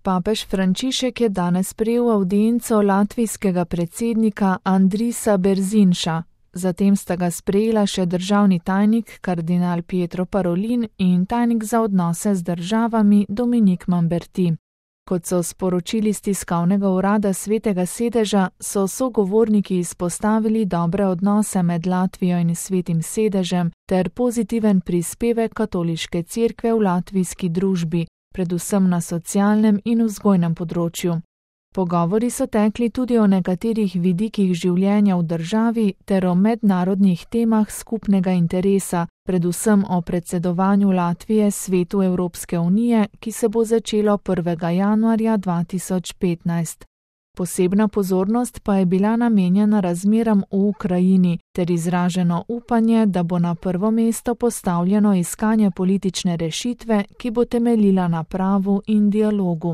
Papež Frančišek je danes sprejel avdienco latvijskega predsednika Andrisa Berzinša. Zatem sta ga sprejela še državni tajnik kardinal Pietro Parolin in tajnik za odnose z državami Dominik Mamberti. Kot so sporočili z tiskovnega urada Svetega sedeža, so sogovorniki izpostavili dobre odnose med Latvijo in Svetim sedežem ter pozitiven prispevek katoliške cerkve v latvijski družbi, predvsem na socialnem in vzgojnem področju. Pogovori so tekli tudi o nekaterih vidikih življenja v državi ter o mednarodnih temah skupnega interesa, predvsem o predsedovanju Latvije Svetu Evropske unije, ki se bo začelo 1. januarja 2015. Posebna pozornost pa je bila namenjena razmeram v Ukrajini ter izraženo upanje, da bo na prvo mesto postavljeno iskanje politične rešitve, ki bo temeljila na pravu in dialogu.